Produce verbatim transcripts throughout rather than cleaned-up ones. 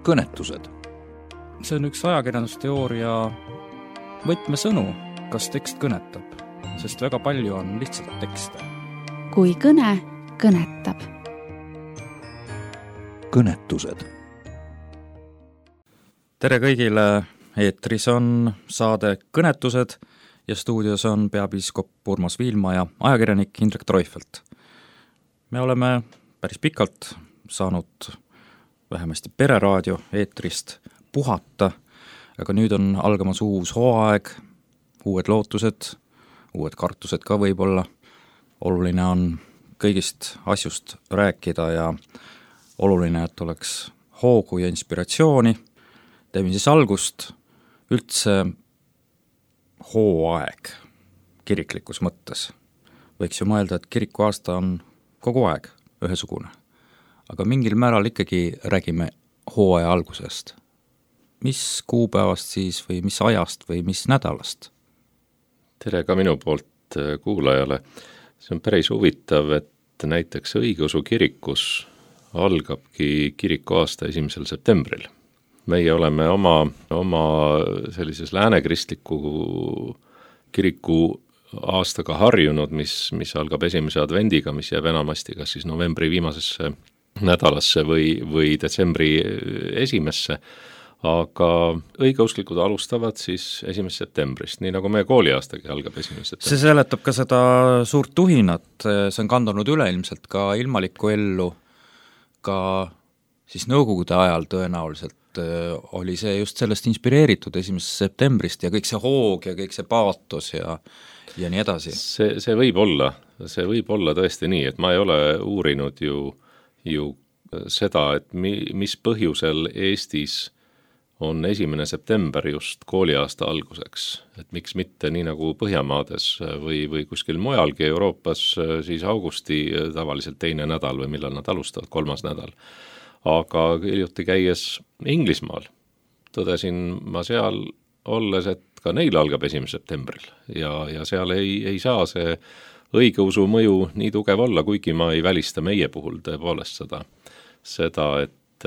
kõnetused. See on üks ajakirjandusteooria võtmesõnu, kas tekst kõnetab, sest väga palju on lihtsalt tekste. Kui kõne kõnetab. Kõnetused. Tere kõigile, eetris on saade Kõnetused ja stuudios on peapiiskop Urmas Viilma ja ajakirjanik Indrek Treufelt. Me oleme päris pikalt saanud vähemasti pereraadio eetrist puhata, aga nüüd on algamas uus hooaeg, uued lootused, uued kartused ka võib-olla. Oluline on kõigist asjust rääkida ja oluline, et oleks hoogu ja inspiratsiooni. Teeme siis algust üldse hooaeg kiriklikus mõttes. Võiks ju mõelda, et kiriku aasta on kogu aeg ühesugune. Aga mingil määral ikkagi räägime hooaja algusest. Mis kuupäevast siis või mis ajast või mis nädalast? Tere ka minu poolt kuulajale. See on päris huvitav, et näiteks õigeusu kirikus algabki kiriku aasta esimesel septembril. Meie oleme oma, oma sellises läänekristliku kiriku aastaga harjunud, mis, mis algab esimese advendiga, mis jääb enamasti kas siis novembri viimasesse nädalasse või, või detsembri esimesse, aga õigeusklikud alustavad siis esimesest septembrist, nii nagu meie kooliaastagi algab esimesest septembrist. See seletab ka seda suurt tuhinat, see on kandunud üleilmselt ka ilmalikku ellu, ka siis nõukogude ajal tõenäoliselt oli see just sellest inspireeritud esimesest septembrist ja kõik see hoog ja kõik see paatos ja, ja nii edasi. See, see võib olla, see võib olla tõesti nii, et ma ei ole uurinud ju ju seda, et mi, mis põhjusel Eestis on esimene september just kooliaasta alguseks, et miks mitte nii nagu Põhjamaades või, või kuskil mujalgi Euroopas siis augusti tavaliselt teine nädal või millal nad alustavad, kolmas nädal. Aga hiljuti käies Inglismaal tõdesin ma seal olles, et ka neil algab esimesel septembril ja, ja seal ei, ei saa see õigeusu mõju nii tugev olla, kuigi ma ei välista meie puhul tõepoolest seda, seda, et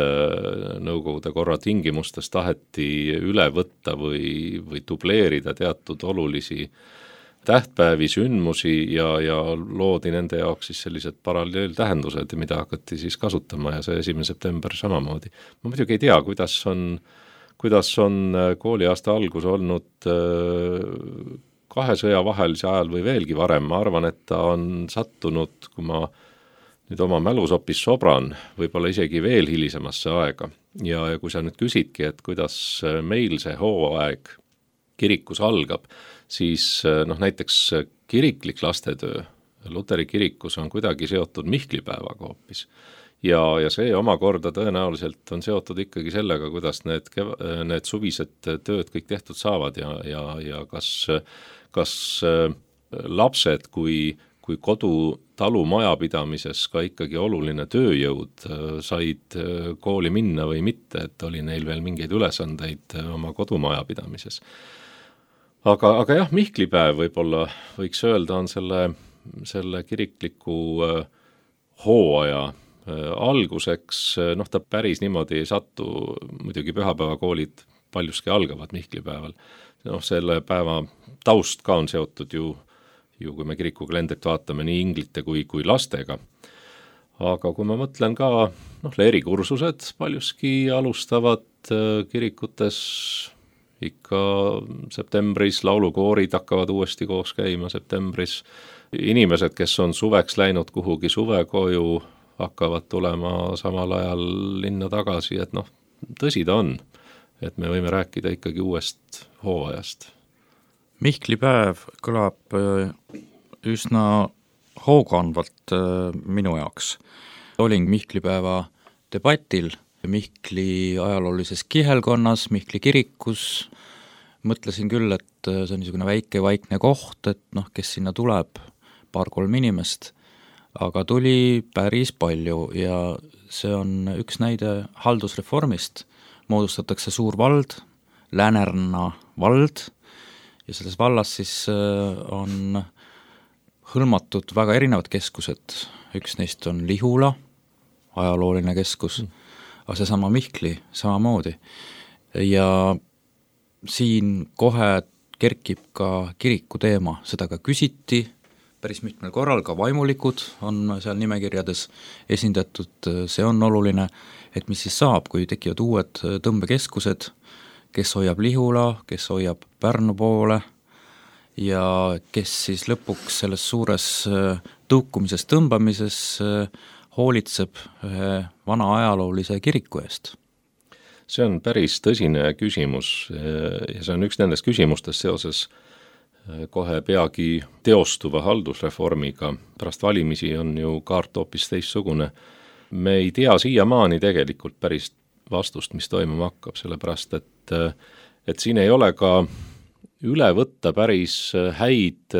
nõukogude korra tingimustes taheti üle võtta või, või dubleerida teatud olulisi tähtpäevi, sündmusi ja, ja loodi nende jaoks siis sellised paralleeltähendused, mida hakati siis kasutama ja see esimene september samamoodi. Ma muidugi ei tea, kuidas on, kuidas on kooliaasta algus olnud kahe sõja vahelise ajal või veelgi varem. Ma arvan, et ta on sattunud, kui ma nüüd oma mälus hoopis sobran, võib-olla isegi veel hilisemasse aega. Ja, ja kui sa nüüd küsidki, et kuidas meil see hooaeg kirikus algab, siis noh, näiteks kiriklik lastetöö Luteri kirikus on kuidagi seotud Mihklipäevaga hoopis. Ja, ja see omakorda tõenäoliselt on seotud ikkagi sellega, kuidas need, need suvised tööd kõik tehtud saavad ja, ja, ja kas, kas lapsed kui, kui kodu talu majapidamises ka ikkagi oluline tööjõud said kooli minna või mitte, et oli neil veel mingeid ülesandeid oma kodumajapidamises. Aga, aga jah, Mihklipäev võib-olla võiks öelda on selle, selle kirikliku hooaja alguseks, noh ta päris niimoodi ei sattu, muidugi pühapäevakoolid paljuski algavad Mihklipäeval. Noh, selle päeva taust ka on seotud ju, ju kui me kirikukalendrit vaatame nii inglite kui, kui lastega. Aga kui ma mõtlen ka, noh, leerikursused paljuski alustavad kirikutes ikka septembris, laulukoorid hakkavad uuesti koos käima septembris. Inimesed, kes on suveks läinud kuhugi suvekoju, hakkavad tulema samal ajal linna tagasi, et noh, tõsi ta on, et me võime rääkida ikkagi uuest hooajast. Mihklipäev kõlab üsna hoogandvalt minu jaoks. Olin Mihklipäeva debatil Mihkli ajaloolises kihelkonnas, Mihkli kirikus. Mõtlesin küll, et see on niisugune väike vaikne koht, et noh, kes sinna tuleb, paar-kolm inimest, aga tuli päris palju ja see on üks näide haldusreformist. Moodustatakse suur vald, Lääneranna vald ja selles vallas siis on hõlmatud väga erinevad keskused. Üks neist on Lihula, ajalooline keskus, aga seesama Mihkli samamoodi. Ja siin kohe kerkib ka kiriku teema, seda ka küsiti päris mitmel korral, ka vaimulikud on seal nimekirjades esindatud, see on oluline, et mis siis saab, kui tekivad uued tõmbekeskused, kes hoiab Lihula, kes hoiab Pärnu poole ja kes siis lõpuks selles suures tõukumises, tõmbamises hoolitseb ühe vana ajaloolise kiriku eest. See on päris tõsine küsimus ja see on üks nendest küsimustest seoses kohe peagi teostuva haldusreformiga. Pärast valimisi on ju kaart hoopis teistsugune. Me ei tea siiamaani tegelikult päris vastust, mis toimuma hakkab, sellepärast et, et siin ei ole ka üle võtta päris häid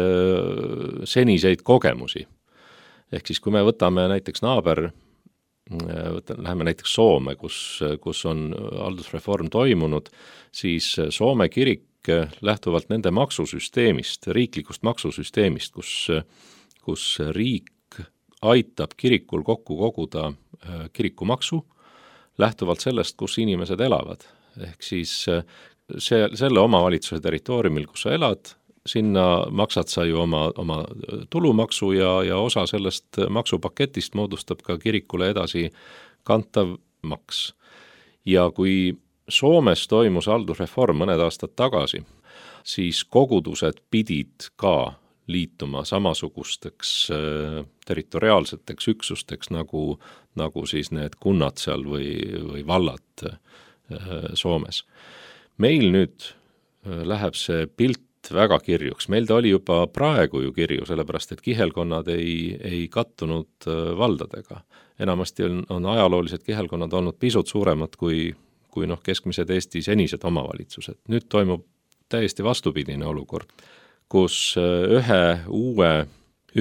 seniseid kogemusi. Ehk siis kui me võtame näiteks naaber, võtame, läheme näiteks Soome, kus, kus on haldusreform toimunud, siis Soome kirik lähtuvalt nende maksusüsteemist, riiklikust maksusüsteemist, kus, kus riik aitab kirikul kokku koguda kirikumaksu, lähtuvalt sellest, kus inimesed elavad. Ehk siis see, selle omavalitsuse territooriumil, kus sa elad, sinna maksad sa ju oma, oma tulumaksu ja, ja osa sellest maksupaketist moodustab ka kirikule edasi kantav maks. Ja kui Soomes toimus haldusreform mõned aastad tagasi, siis kogudused pidid ka liituma samasugusteks territoriaalseteks üksusteks, nagu, nagu siis need kunnad seal või, või vallad Soomes. Meil nüüd läheb see pilt väga kirjuks. Meil ta oli juba praegu ju kirju, sellepärast et kihelkonnad ei, ei kattunud valdadega. Enamasti on, on ajaloolised kihelkonnad olnud pisut suuremad kui, kui noh, keskmised Eesti senised omavalitsused. Nüüd toimub täiesti vastupidine olukord, kus ühe uue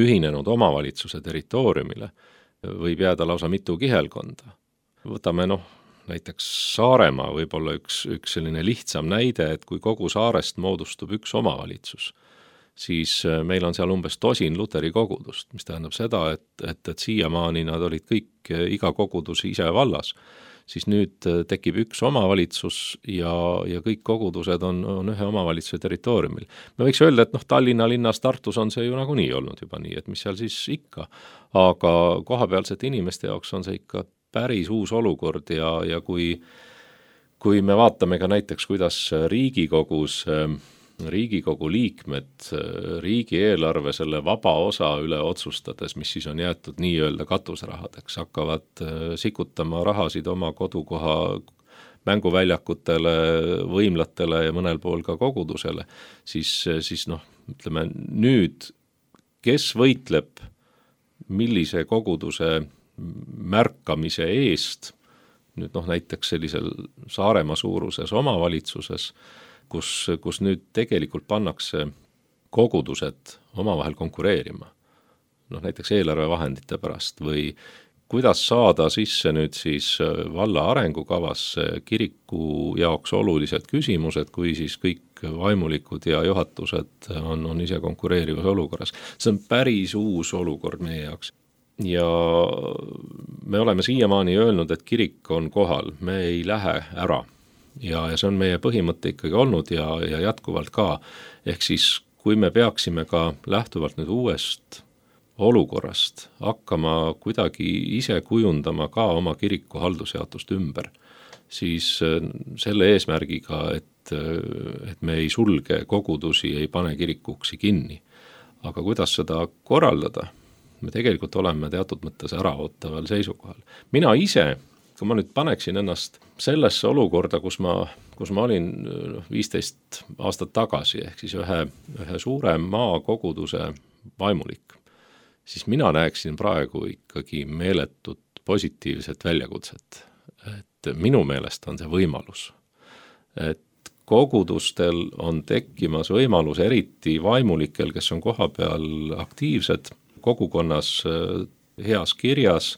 ühinenud omavalitsuse territooriumile võib jääda lausa mitu kihelkonda. Võtame noh, näiteks Saaremaa võib-olla üks, üks selline lihtsam näide, et kui kogu saarest moodustub üks omavalitsus, siis meil on seal umbes tosin luteri kogudust, mis tähendab seda, et, et, et siiamaani nad olid kõik iga kogudus ise vallas, siis nüüd tekib üks omavalitsus ja, ja kõik kogudused on, on ühe omavalitsuse territooriumil. Me võiks öelda, et noh, Tallinna linnas, Tartus on see ju nagunii olnud juba nii, et mis seal siis ikka, aga kohapealsete inimeste jaoks on see ikka päris uus olukord ja, ja kui, kui me vaatame ka näiteks, kuidas Riigikogus, Riigikogu liikmed riigieelarve selle vaba osa üle otsustades, mis siis on jäetud nii-öelda katusrahadeks, hakkavad sikutama rahasid oma kodukoha mänguväljakutele, võimlatele ja mõnel pool ka kogudusele, siis, siis noh, ütleme nüüd, kes võitleb millise koguduse märkamise eest, nüüd noh näiteks sellisel Saaremaa suuruses omavalitsuses, kus, kus nüüd tegelikult pannakse kogudused omavahel konkureerima. Noh näiteks eelarvevahendite pärast või kuidas saada sisse nüüd siis valla arengukavasse kiriku jaoks olulised küsimused, kui siis kõik vaimulikud ja juhatused on, on ise konkureerivas olukorras. See on päris uus olukord meie jaoks. Ja me oleme siiamaani öelnud, et kirik on kohal, me ei lähe ära ja, ja see on meie põhimõte ikkagi olnud ja, ja jätkuvalt ka. Ehk siis, kui me peaksime ka lähtuvalt nüüd uuest olukorrast hakkama kuidagi ise kujundama ka oma kiriku haldusjaotust ümber, siis selle eesmärgiga, et, et me ei sulge kogudusi, ei pane kirikuksi kinni. Aga kuidas seda korraldada? Me tegelikult oleme teatud mõttes äraootaval seisukohal. Mina ise, kui ma nüüd paneksin ennast sellesse olukorda, kus ma, kus ma olin viisteist aastat tagasi, ehk siis ühe, ühe suure maakoguduse vaimulik, siis mina näeksin praegu ikkagi meeletut positiivset väljakutset. Et minu meelest on see võimalus. Et kogudustel on tekkimas võimalus, eriti vaimulikel, kes on kohapeal aktiivsed, kogukonnas heas kirjas,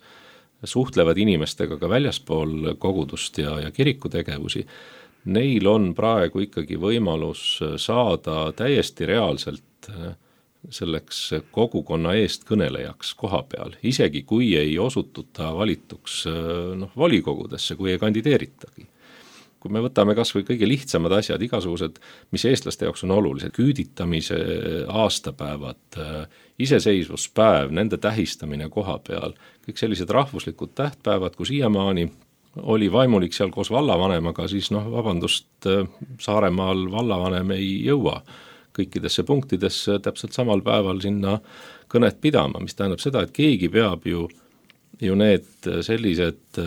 suhtlevad inimestega ka väljaspool kogudust ja, ja kirikutegevusi, neil on praegu ikkagi võimalus saada täiesti reaalselt selleks kogukonna eest kõnelejaks koha peal, isegi kui ei osututa valituks noh, volikogudesse, kui ei kandideeritagi. Kui me võtame kas või kõige lihtsamad asjad, igasugused, mis eestlaste jaoks on olulised, küüditamise aastapäevad, iseseisvuspäev, nende tähistamine koha peal, kõik sellised rahvuslikud tähtpäevad, kui siiamaani oli vaimulik seal koos vallavanemaga, siis noh, vabandust, Saaremaal vallavanem ei jõua kõikidesse punktidesse täpselt samal päeval sinna kõnet pidama, mis tähendab seda, et keegi peab ju ju need sellised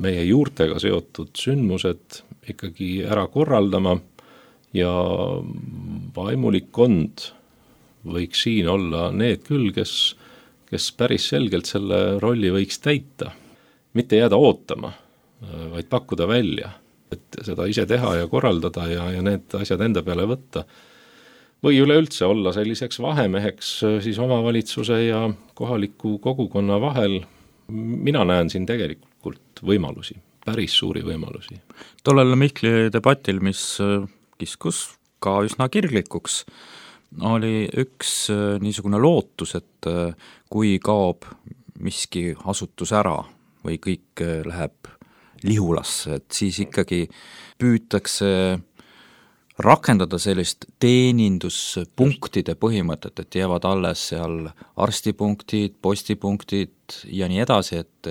meie juurtega seotud sündmused ikkagi ära korraldama ja vaimulikkond võiks siin olla need küll, kes, kes päris selgelt selle rolli võiks täita. Mitte jääda ootama, vaid pakkuda välja, et seda ise teha ja korraldada ja, ja need asjad enda peale võtta. Või üleüldse olla selliseks vahemeheks siis omavalitsuse ja kohaliku kogukonna vahel. Mina näen siin tegelikult võimalusi, päris suuri võimalusi. Tollel Mihkli debatil, mis kiskus ka üsna kirglikuks, oli üks niisugune lootus, et kui kaob miski asutus ära või kõik läheb lihulasse, et siis ikkagi püütakse rakendada sellist teeninduspunktide põhimõtet, et jäävad alles seal arstipunktid, postipunktid ja nii edasi, et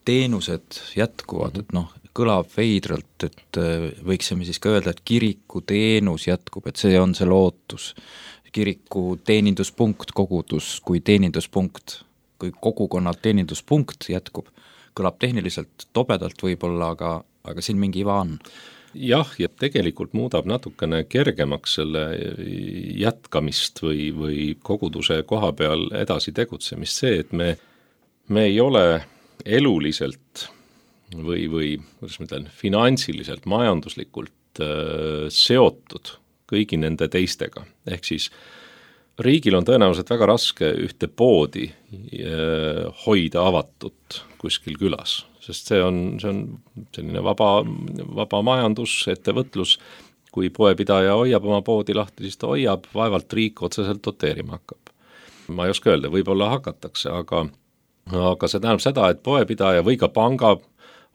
teenused jätkuvad, et noh, kõlab veidralt, et võiksime siis ka öelda, et kiriku teenus jätkub, et see on see lootus. Kiriku teeninduspunkt, kogudus kui teeninduspunkt, kui kogukonna teeninduspunkt jätkub, kõlab tehniliselt tobedalt võib-olla, aga, aga siin mingi iva on. Jah, ja tegelikult muudab natukene kergemaks selle jätkamist või, või koguduse koha peal edasi tegutsemist see, et me, me ei ole eluliselt või, või kuidas ma ütlen, finantsiliselt, majanduslikult äh, seotud kõigi nende teistega. Ehk siis riigil on tõenäoliselt väga raske ühte poodi äh, hoida avatut kuskil külas, sest see on, see on selline vaba, vaba majandus, ettevõtlus, kui poepidaja hoiab oma poodi lahti, siis ta hoiab, vaevalt riik otseselt doteerima hakkab. Ma ei oska öelda, võib-olla hakatakse, aga, aga see tähendab seda, et poepidaja või ka panga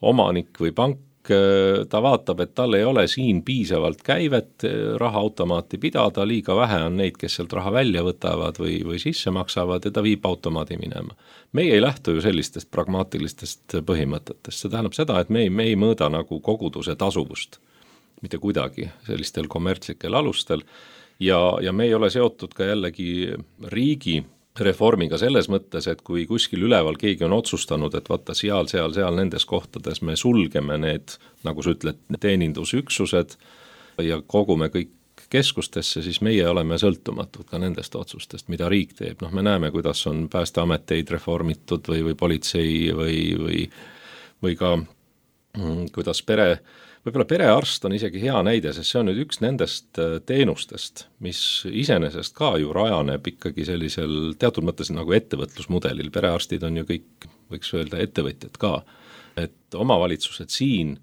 omanik või pank, ta vaatab, et tal ei ole siin piisavalt käivet rahaautomaati pidada, liiga vähe on neid, kes sealt raha välja võtavad või, või sisse maksavad ja ta viib automaadi minema. Meie ei lähtu ju sellistest pragmaatilistest põhimõtetest, see tähendab seda, et me ei, me ei mõõda nagu koguduse tasuvust, mitte kuidagi sellistel kommertslikel alustel ja, ja me ei ole seotud ka jällegi riigi reformiga selles mõttes, et kui kuskil üleval keegi on otsustanud, et vaata seal, seal, seal nendes kohtades me sulgeme need, nagu sa ütled, teenindusüksused ja kogume kõik keskustesse, siis meie oleme sõltumatud ka nendest otsustest, mida riik teeb. Noh, me näeme, kuidas on päästeameteid reformitud või, või politsei või, või, või ka kuidas pere Võib-olla perearst on isegi hea näide, sest see on nüüd üks nendest teenustest, mis iseenesest ka ju rajaneb ikkagi sellisel teatud mõttes nagu ettevõtlusmudelil. Perearstid on ju kõik, võiks öelda, ettevõtjad ka. Et omavalitsused siin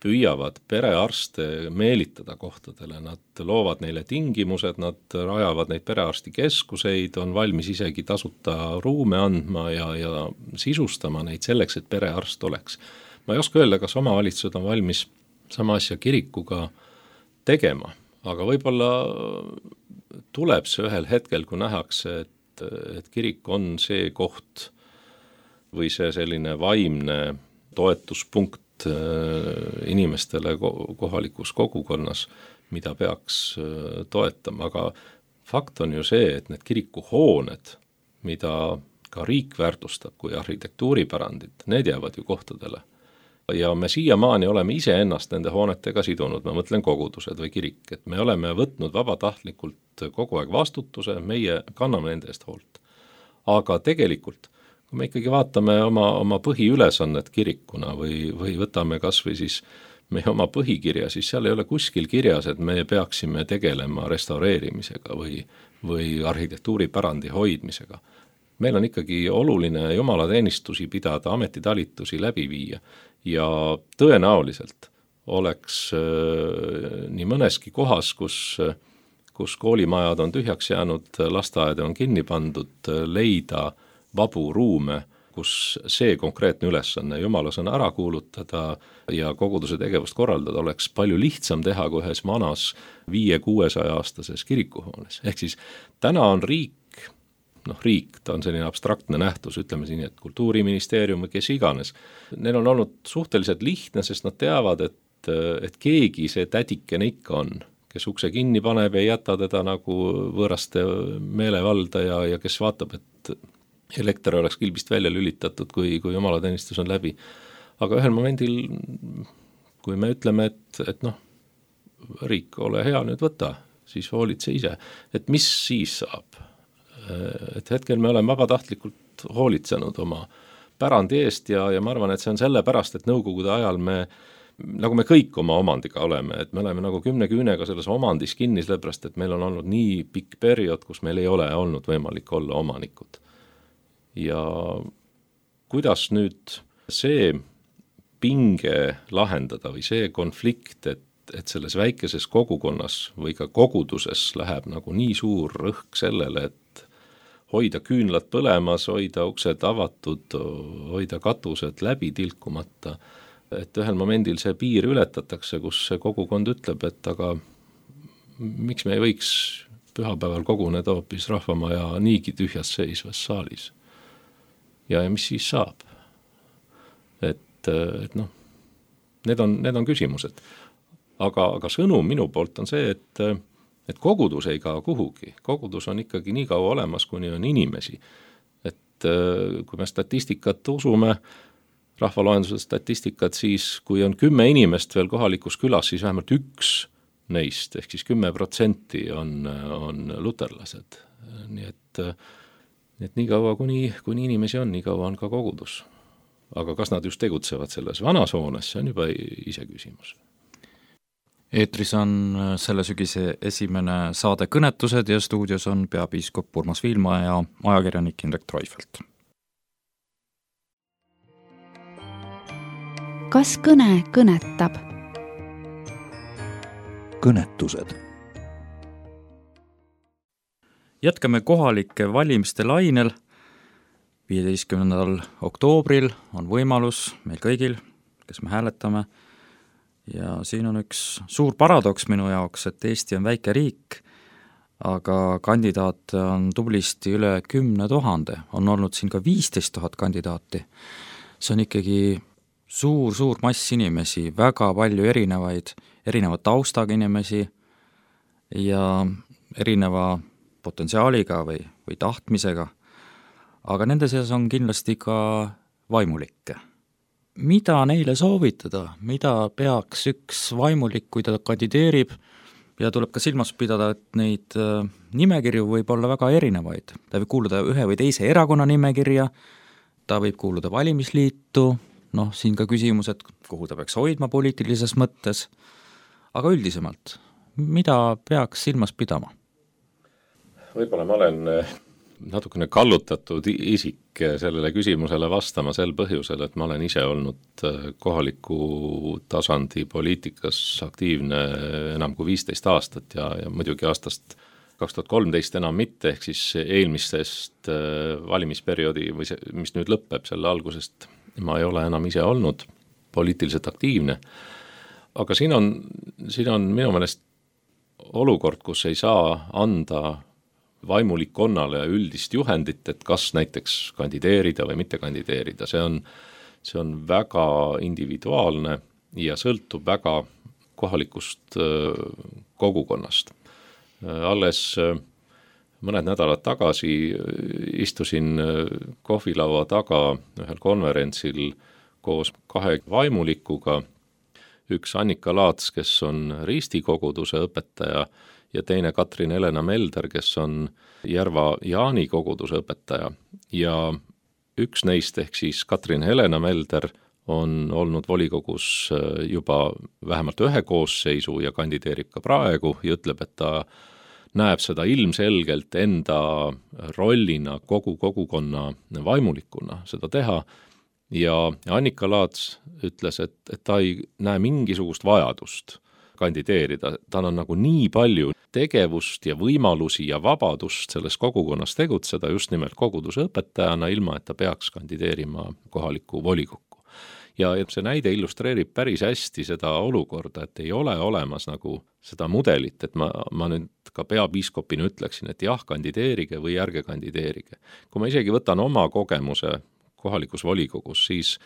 püüavad perearste meelitada kohtadele, nad loovad neile tingimused, nad rajavad neid perearstikeskuseid, on valmis isegi tasuta ruume andma ja, ja sisustama neid selleks, et perearst oleks. Ma ei oska öelda, kas omavalitsused on valmis sama asja kirikuga tegema, aga võib-olla tuleb see ühel hetkel, kui nähakse, et, et kirik on see koht või see selline vaimne toetuspunkt inimestele kohalikus kogukonnas, mida peaks toetama, aga fakt on ju see, et need kirikuhooned, mida ka riik väärtustab kui arhitektuuripärandit, need jäävad ju kohtadele. Ja me siiamaani oleme ise ennast nende hoonetega sidunud, ma mõtlen kogudused või kirik, et me oleme võtnud vabatahtlikult kogu aeg vastutuse, meie kanname nende eest hoolt. Aga tegelikult, kui me ikkagi vaatame oma, oma põhiülesannet kirikuna või, või võtame kas või siis meie oma põhikirja, siis seal ei ole kuskil kirjas, et me peaksime tegelema restaureerimisega või, või arhitektuuripärandi hoidmisega. Meil on ikkagi oluline jumalateenistusi pidada, ametitalitusi läbi viia ja tõenäoliselt oleks äh, nii mõneski kohas, kus, kus koolimajad on tühjaks jäänud, lasteaed on kinni pandud, leida vabu ruume, kus see konkreetne ülesanne Jumala sõna ära kuulutada ja koguduse tegevust korraldada oleks palju lihtsam teha kui ühes vanas viie-kuuesaja aastases kirikuhoones. Ehk siis täna on riik, noh riik, ta on selline abstraktne nähtus, ütleme siin, et kultuuriministeerium või kes iganes. Neil on olnud suhteliselt lihtne, sest nad teavad, et, et keegi see tädikene ikka on, kes ukse kinni paneb ja jäta teda nagu võõraste meelevalda ja, ja kes vaatab, et elekter oleks kilbist välja lülitatud, kui, kui jumalateenistus on läbi. Aga ühel momendil, kui me ütleme, et, et noh, riik, ole hea, nüüd võta, siis hoolitse ise. Et mis siis saab? Et hetkel me oleme vabatahtlikult hoolitsenud oma pärandi eest ja, ja ma arvan, et see on selle pärast, et nõukogude ajal me, nagu me kõik oma omandiga oleme, et me oleme nagu kümne küünega selles omandis kinni, sellepärast, et meil on olnud nii pikk periood, kus meil ei ole olnud võimalik olla omanikud. Ja kuidas nüüd see pinge lahendada või see konflikt, et, et selles väikeses kogukonnas või ka koguduses läheb nagu nii suur rõhk sellele, et hoida küünlad põlemas, hoida uksed avatud, hoida katused läbi tilkumata, et ühel momendil see piir ületatakse, kus see kogukond ütleb, et aga miks me ei võiks pühapäeval koguneda hoopis rahvamaja niigi tühjas seisvas saalis. Ja, ja mis siis saab? Et, et noh, need on, need on küsimused. Aga, aga sõnum minu poolt on see, et, et kogudus ei kao kuhugi. Kogudus on ikkagi nii kaua olemas, kuni on inimesi. Et kui me statistikat usume, rahvaloenduse statistikat, siis kui on kümme inimest veel kohalikus külas, siis vähemalt üks neist, ehk siis kümme protsenti on, on luterlased. Nii et et nii kaua, kuni, kuni inimesi on, nii kaua on ka kogudus. Aga kas nad just tegutsevad selles vanas hoones, see on juba ise küsimus. Eetris on selle sügise esimene saade Kõnetused ja stuudios on peapiiskop Urmas Viilma ja ajakirjanik Indrek Treufelt. Kas kõne kõnetab? Kõnetused. Jätkame kohalike valimiste lainel. viieteistkümnendal oktoobril on võimalus meil kõigil, kes me hääletame. Ja siin on üks suur paradoks minu jaoks, et Eesti on väike riik, aga kandidaate on tublisti üle kümne tuhande. On olnud siin ka viisteist tuhat kandidaati. See on ikkagi suur, suur mass inimesi, väga palju erinevaid, erineva taustaga inimesi ja erineva potentsiaaliga või, või tahtmisega, aga nende seas on kindlasti ka vaimulikke. Mida neile soovitada? Mida peaks üks vaimulik, kui ta kandideerib, ja tuleb ka silmas pidada, et neid nimekirju võib olla väga erinevaid. Ta võib kuuluda ühe või teise erakonna nimekirja, ta võib kuuluda valimisliitu, noh, siin ka küsimus, et kuhu ta peaks hoidma poliitilises mõttes, aga üldisemalt, mida peaks silmas pidama? Võib-olla ma olen natukene kallutatud isik sellele küsimusele vastama sel põhjusel, et ma olen ise olnud kohaliku tasandi poliitikas aktiivne enam kui viisteist aastat ja, ja muidugi aastast kaks tuhat kolmteist enam mitte, ehk siis eelmisest valimisperioodi, või see, mis nüüd lõpeb selle algusest, ma ei ole enam ise olnud poliitiliselt aktiivne. Aga siin on, siin on minu meelest olukord, kus ei saa anda vaimulikkonnale ja üldist juhendit, et kas näiteks kandideerida või mitte kandideerida. See on, see on väga individuaalne ja sõltub väga kohalikust kogukonnast. Alles mõned nädalad tagasi istusin kohvilaua taga ühel konverentsil koos kahe vaimulikuga, üks Annika Laats, kes on Risti koguduse õpetaja, ja teine Katrin Helena Melder, kes on Järva Jaani koguduse õpetaja. Ja üks neist, ehk siis Katrin Helena Melder, on olnud volikogus juba vähemalt ühe koosseisu ja kandideerib ka praegu ja ütleb, et ta näeb seda ilmselgelt enda rollina kogu kogukonna vaimulikuna seda teha. Ja Annika Laats ütles, et, et ta ei näe mingisugust vajadust kandideerida, tal on nagu nii palju tegevust ja võimalusi ja vabadust selles kogukonnas tegutseda just nimelt koguduse õpetajana, ilma et ta peaks kandideerima kohalikku volikokku. Ja see näide illustreerib päris hästi seda olukorda, et ei ole olemas nagu seda mudelit, et ma, ma nüüd ka peapiiskopina ütleksin, et jah, kandideerige või ärge kandideerige. Kui ma isegi võtan oma kogemuse kohalikus volikogus, siis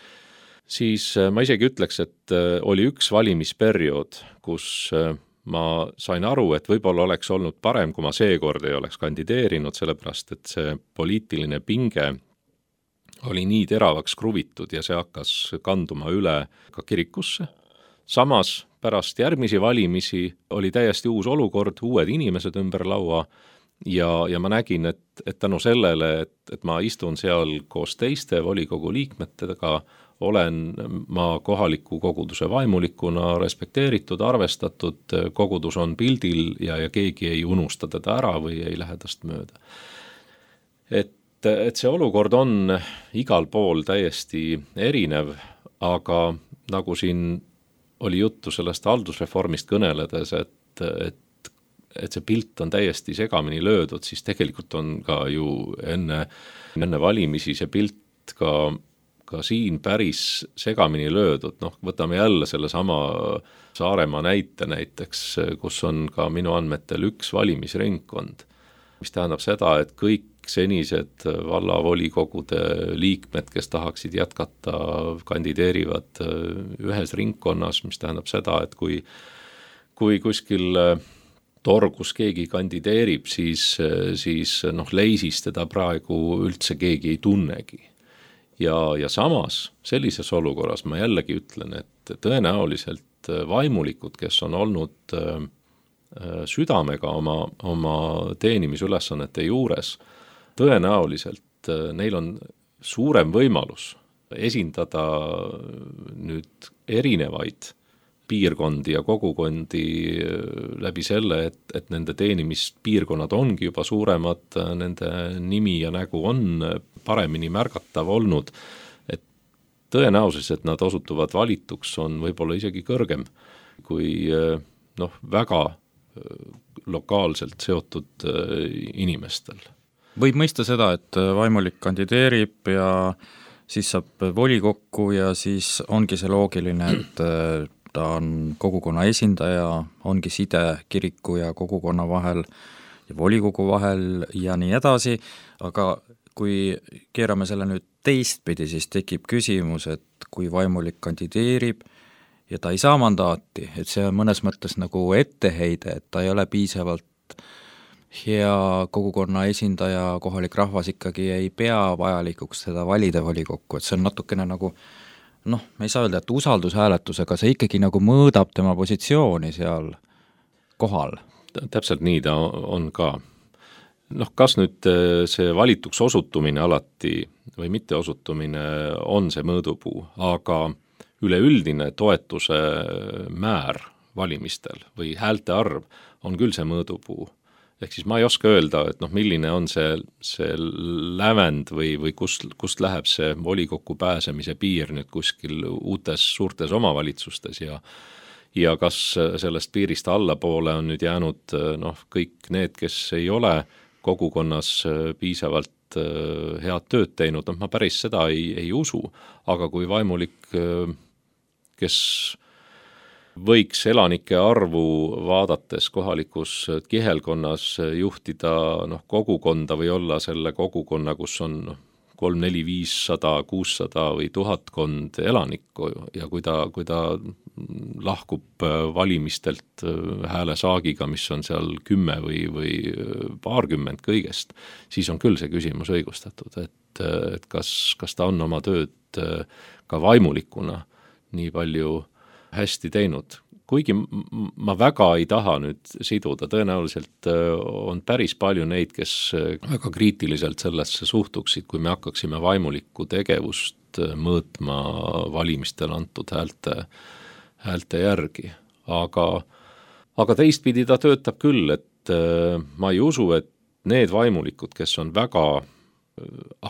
siis ma isegi ütleks, et oli üks valimisperiood, kus ma sain aru, et võib-olla oleks olnud parem, kui ma seekord ei oleks kandideerinud, sellepärast et see poliitiline pinge oli nii teravaks kruvitud ja see hakkas kanduma üle ka kirikusse. Samas pärast järgmisi valimisi oli täiesti uus olukord, uued inimesed ümber laua ja, ja ma nägin, et, et tänu sellele, et, et ma istun seal koos teiste volikogu liikmetega, olen ma kohaliku koguduse vaimulikuna respekteeritud, arvestatud, kogudus on pildil ja, ja keegi ei unusta teda ära või ei lähe tast mööda. Et, et see olukord on igal pool täiesti erinev, aga nagu siin oli juttu sellest haldusreformist kõneledes, et, et, et see pilt on täiesti segamini löödud, siis tegelikult on ka ju enne, enne valimisi see pilt ka ka siin päris segamini löödud, noh, võtame jälle selle sama Saaremaa näite näiteks, kus on ka minu andmetel üks valimisringkond, mis tähendab seda, et kõik senised vallavolikogude liikmed, kes tahaksid jätkata, kandideerivad ühes ringkonnas, mis tähendab seda, et kui, kui kuskil torgus keegi kandideerib, siis, siis noh, leisis teda praegu üldse keegi ei tunnegi. Ja, ja samas sellises olukorras ma jällegi ütlen, et tõenäoliselt vaimulikud, kes on olnud südamega oma, oma teenimisülesannete juures, tõenäoliselt neil on suurem võimalus esindada nüüd erinevaid piirkondi ja kogukondi läbi selle, et, et nende teenimispiirkonnad ongi juba suuremad, nende nimi ja nägu on paremini märgatav olnud, et tõenäosus, et nad osutuvad valituks, on võib-olla isegi kõrgem kui noh, väga lokaalselt seotud inimestel. Võib mõista seda, et vaimulik kandideerib ja siis saab volikokku ja siis ongi see loogiline, et ta on kogukonna esindaja, ongi side kiriku ja kogukonna vahel ja volikogu vahel ja nii edasi, aga kui keerame selle nüüd teistpidi, siis tekib küsimus, et kui vaimulik kandideerib ja ta ei saa mandaati, et see on mõnes mõttes nagu etteheide, et ta ei ole piisavalt hea kogukonna esindaja, kohalik rahvas ikkagi ei pea vajalikuks seda valida volikokku, et see on natukene nagu noh, me ei saa öelda, et usaldushääletusega see ikkagi nagu mõõdab tema positsiooni seal kohal. Täpselt nii ta on ka. Noh, kas nüüd see valituks osutumine alati või mitte osutumine on see mõõdupuu, aga üleüldine toetuse määr valimistel või häälte arv on küll see mõõdupuu. Ehk siis ma ei oska öelda, et noh, milline on see, see lävend või, või kust, kust läheb see volikokku pääsemise piir nüüd kuskil uutes suurtes omavalitsustes ja ja kas sellest piirist allapoole on nüüd jäänud noh, kõik need, kes ei ole kogukonnas piisavalt head tööd teinud, noh ma päris seda ei, ei usu, aga kui vaimulik, kes võiks elanike arvu vaadates kohalikus kihelkonnas juhtida noh, kogukonda või olla selle kogukonna, kus on noh, kolm, neli, viissada, kuussada või tuhatkond elanikku ja kui ta, kui ta lahkub valimistelt häälesaagiga, mis on seal kümme või, või paarkümmend kõigest, siis on küll see küsimus õigustatud, et, et kas, kas ta on oma tööd ka vaimulikuna nii palju hästi teinud. Kuigi ma väga ei taha nüüd siduda, tõenäoliselt on päris palju neid, kes väga kriitiliselt sellesse suhtuksid, kui me hakkaksime vaimulikku tegevust mõõtma valimistel antud häälte, häälte järgi. Aga, aga teistpidi ta töötab küll, et ma ei usu, et need vaimulikud, kes on väga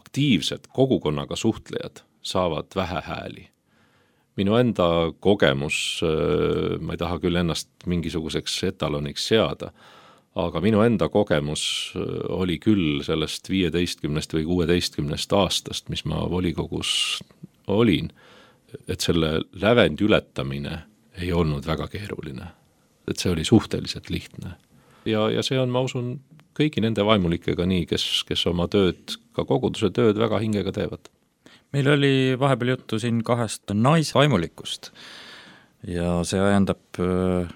aktiivsed kogukonnaga suhtlejad, saavad vähe hääli. minu enda kogemus, ma ei taha küll ennast mingisuguseks etaloniks seada, aga minu enda kogemus oli küll sellest viieteistkümnest või kuueteistkümnest aastast, mis ma volikogus olin, et selle lävendi ületamine ei olnud väga keeruline. Et see oli suhteliselt lihtne. Ja, ja see on, ma usun, kõigi nende vaimulikega nii, kes, kes oma tööd, ka koguduse tööd väga hingega teevad. Meil oli vahepeal juttu siin kahest naisvaimulikust ja see ajendab äh,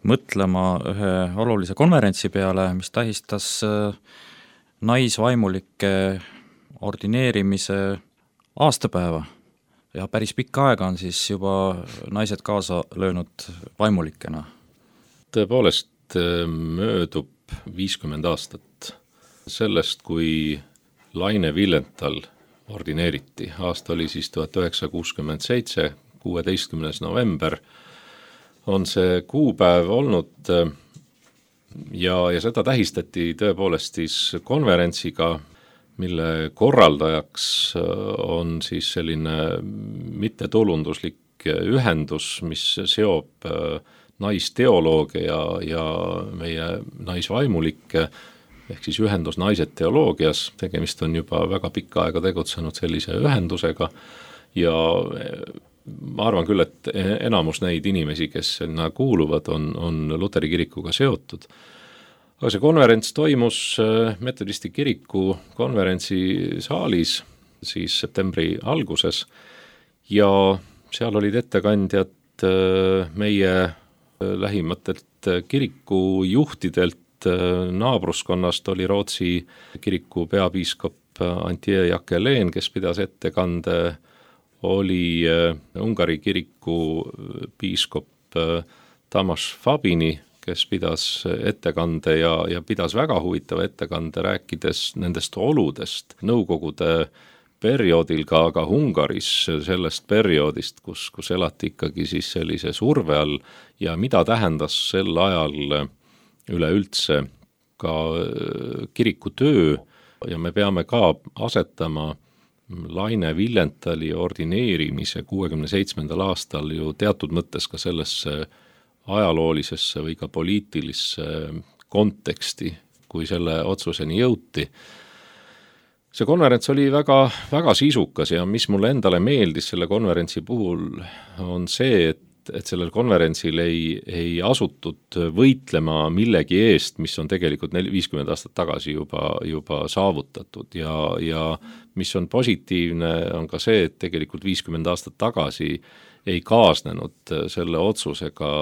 mõtlema ühe olulise konverentsi peale, mis tähistas äh, naisvaimulike ordineerimise aastapäeva ja päris pikka aega on siis juba naised kaasa löönud vaimulikena. Tõepoolest möödub viiskümmend aastat sellest, kui Laine Villenthal ordineeriti. Aasta oli siis tuhat üheksasada kuuskümmend seitse, kuueteistkümnes november on see kuupäev olnud ja, ja seda tähistati tõepoolest siis konverentsiga, mille korraldajaks on siis selline mittetulunduslik ühendus, mis seob naisteoloogia ja, ja meie naisvaimulikke, ehk siis ühendus Naised teoloogias, tegemist on juba väga pikka aega tegutsenud sellise ühendusega ja ma arvan küll, et enamus neid inimesi, kes sinna kuuluvad, on, on Luteri kirikuga seotud. Aga see konverents toimus Metodisti kiriku konverentsi saalis siis septembri alguses ja seal olid ettekandjad meie lähimatelt kirikujuhtidelt. Naabruskonnast oli Rootsi kiriku peapiiskop Antje Jacqueline, kes pidas ettekande, oli Ungari kiriku piiskop Tamas Fabini, kes pidas ettekande ja, ja pidas väga huvitava ettekande, rääkides nendest oludest Nõukogude perioodil ka, ka Ungaris, sellest perioodist, kus, kus elati ikkagi siis sellise surve all ja mida tähendas sel ajal üleüldse ka kiriku töö ja me peame ka asetama Laine Villenthali ordineerimise kuuekümne seitsmendal aastal ju teatud mõttes ka sellesse ajaloolisesse või ka poliitilisse konteksti, kui selle otsuseni jõuti. See konverents oli väga, väga sisukas ja mis mulle endale meeldis selle konverentsi puhul on see, et et sellel konverentsil ei, ei asutud võitlema millegi eest, mis on tegelikult viiskümmend aastat tagasi juba, juba saavutatud ja, ja mis on positiivne, on ka see, et tegelikult viiskümmend aastat tagasi ei kaasnenud selle otsusega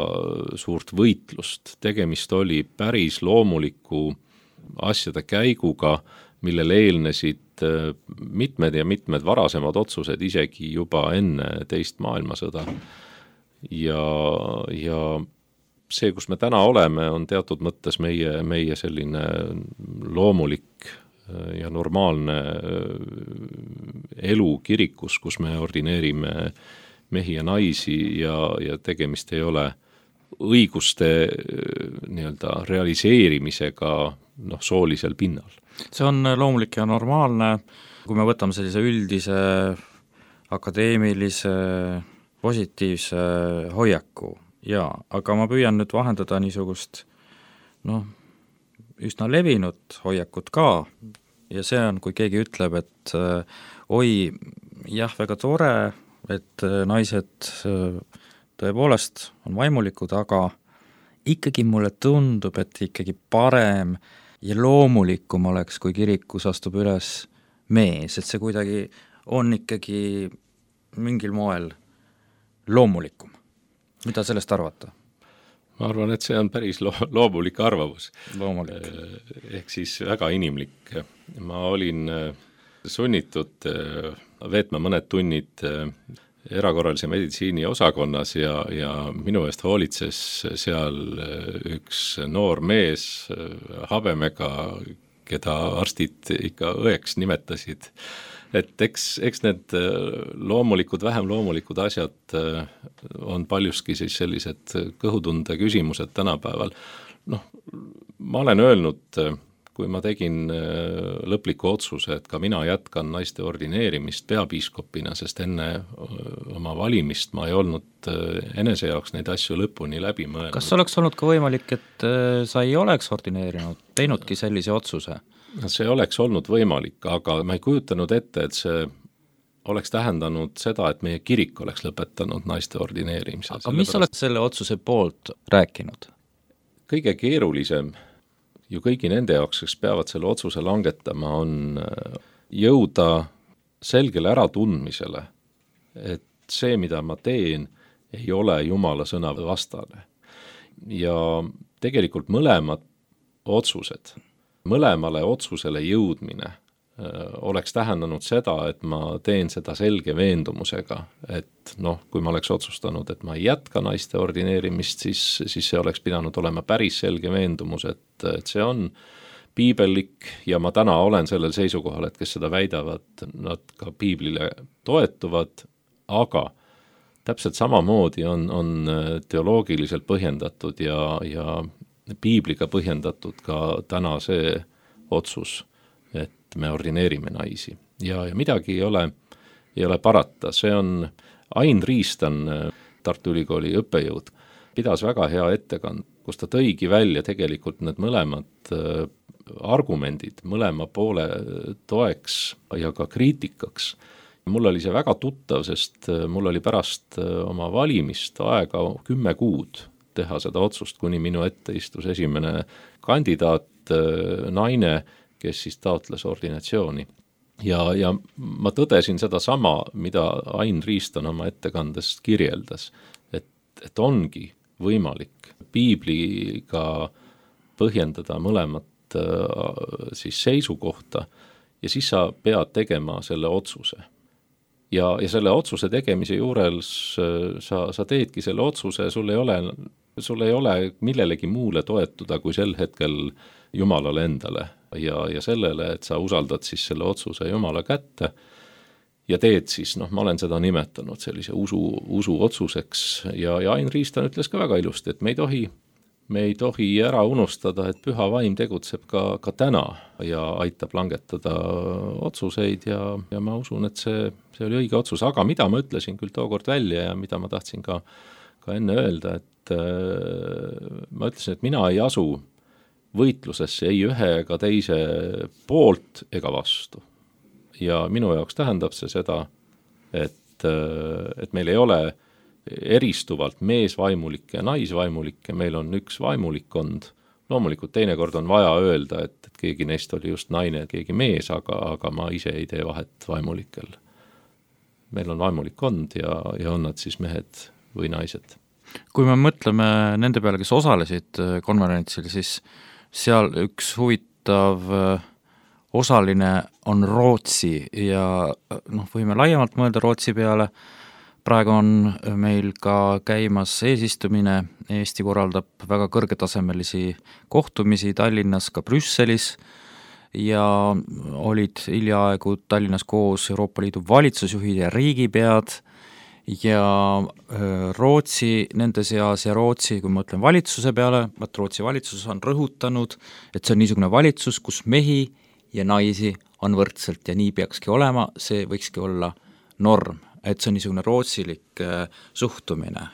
suurt võitlust. Tegemist oli päris loomuliku asjade käiguga, millele eelnesid mitmed ja mitmed varasemad otsused isegi juba enne teist maailmasõda. Ja, ja see, kus me täna oleme, on teatud mõttes meie, meie selline loomulik ja normaalne elu kirikus, kus me ordineerime mehi ja naisi ja, ja tegemist ei ole õiguste nii-öelda realiseerimisega noh, soolisel pinnal. See on loomulik ja normaalne, kui me võtame sellise üldise akadeemilise positiivse hoiaku, jaa, aga ma püüan nüüd vahendada niisugust noh, üsna levinud hoiakut ka ja see on, kui keegi ütleb, et äh, oi, jah, väga tore, et äh, naised äh, tõepoolest on vaimulikud, aga ikkagi mulle tundub, et ikkagi parem ja loomulikum oleks, kui kirikus astub üles mees, et see kuidagi on ikkagi mingil moel loomulikum. Mida sellest arvata? Ma arvan, et see on päris lo- loomulik arvamus. Loomulik. Ehk siis väga inimlik. Ma olin sunnitud veetma mõned tunnid erakorralise meditsiini osakonnas ja, ja minu eest hoolitses seal üks noor mees habemega, keda arstid ikka õeks nimetasid. Et eks, eks need loomulikud, vähem loomulikud asjad on paljuski siis sellised kõhutunde küsimused tänapäeval. Noh, ma olen öelnud, kui ma tegin lõpliku otsuse, et ka mina jätkan naiste ordineerimist peapiiskopina, sest enne oma valimist ma ei olnud enese jaoks neid asju lõpuni läbi mõelnud. Kas oleks olnud ka võimalik, et sa ei oleks ordineerinud, teinudki sellise otsuse? See oleks olnud võimalik, aga ma ei kujutanud ette, et see oleks tähendanud seda, et meie kirik oleks lõpetanud naiste ordineerimise. Aga mis oleks selle otsuse poolt rääkinud? Kõige keerulisem ju kõigi nende jaoks, kes peavad selle otsuse langetama, on jõuda selgele äratundmisele, et see, mida ma teen, ei ole Jumala sõna vastane. Ja tegelikult mõlemad otsused, mõlemale otsusele jõudmine oleks tähendanud seda, et ma teen seda selge veendumusega, et noh, kui ma oleks otsustanud, et ma ei jätka naiste ordineerimist, siis, siis see oleks pidanud olema päris selge veendumus, et, et see on piibellik ja ma täna olen sellel seisukohal, et kes seda väidavad, nad ka piiblile toetuvad, aga täpselt samamoodi on, on teoloogiliselt põhjendatud ja, ja piibliga põhjendatud ka täna see otsus, et me ordineerime naisi ja, ja midagi ei ole, ei ole parata. See on Ain Riistan, Tartu Ülikooli õppejõud, pidas väga hea ettekand, kus ta tõigi välja tegelikult need mõlemad argumendid, mõlema poole toeks ja ka kriitikaks. Mul oli see väga tuttav, sest mul oli pärast oma valimist aega kümme kuud teha seda otsust, kuni minu ette istus esimene kandidaat, naine, kes siis taotles ordinatsiooni. Ja, ja ma tõdesin seda sama, mida Ain Riistan oma ettekandest kirjeldas, et, et ongi võimalik piibliga põhjendada mõlemat siis seisukohta ja siis sa pead tegema selle otsuse. Ja, ja selle otsuse tegemise juures sa, sa teedki selle otsuse, sul ei ole, sul ei ole millelegi muule toetuda kui sel hetkel Jumalale endale ja, ja sellele, et sa usaldad siis selle otsuse Jumala kätte ja teed siis, noh, ma olen seda nimetanud sellise usu, usu otsuseks ja, ja Ain Riistan ütles ka väga ilusti, et me ei tohi, me ei tohi ära unustada, et püha vaim tegutseb ka, ka täna ja aitab langetada otsuseid ja, ja ma usun, et see, see oli õige otsus, aga mida ma ütlesin küll tookord välja ja mida ma tahtsin ka, ka enne öelda, et äh, ma ütlesin, et mina ei asu võitlusesse ei ühe ega teise poolt ega vastu. Ja minu jaoks tähendab see seda, et, et meil ei ole eristuvalt meesvaimulikke ja naisvaimulikke, meil on üks vaimulikkond. Loomulikult teinekord on vaja öelda, et, et keegi neist oli just naine, keegi mees, aga, aga ma ise ei tee vahet vaimulikel. Meil on vaimulikkond ja, ja on nad siis mehed või naised. Kui me mõtleme nende peale, kes osalesid konverentsil, siis seal üks huvitav osaline on Rootsi ja noh, võime laiemalt mõelda Rootsi peale. Praegu on meil ka käimas eesistumine, Eesti korraldab väga kõrgetasemelisi kohtumisi Tallinnas, ka Brüsselis ja olid hiljaaegu Tallinnas koos Euroopa Liidu valitsusjuhid ja riigipead ja Rootsi nende seas ja Rootsi, kui ma ütlen valitsuse peale, et Rootsi valitsus on rõhutanud, et see on niisugune valitsus, kus mehi ja naisi on võrdselt ja nii peakski olema, see võikski olla norm, et see on niisugune rootsilik suhtumine.